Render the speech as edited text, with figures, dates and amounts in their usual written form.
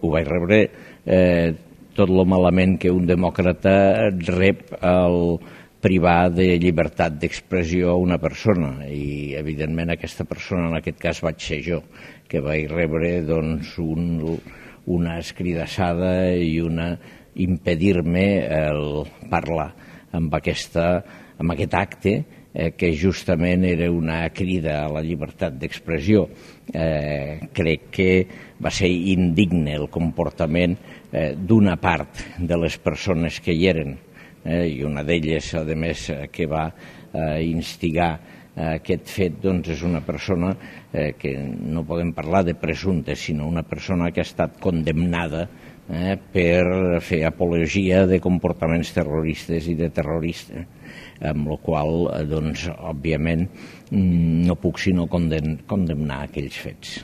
ho vaig rebre tot lo malament que un demòcrata rep al privar de llibertat d'expressió a una persona, i evidentment aquesta persona, en aquest cas vaig ser jo, que vaig rebre doncs una escridassada i una impedir-me el parlar amb aquest acte que justament era una crida a la llibertat d'expressió. Crec que va ser indigne el comportament d'una part de les persones que hi eren, i una d'elles, a més, que va instigar aquest fet, doncs és una persona que no podem parlar de presumpte, sinó una persona que ha estat condemnada per fer apologia de comportaments terroristes i de terrorista, amb la qual, doncs, òbviament, no puc sinó condemnar aquells fets.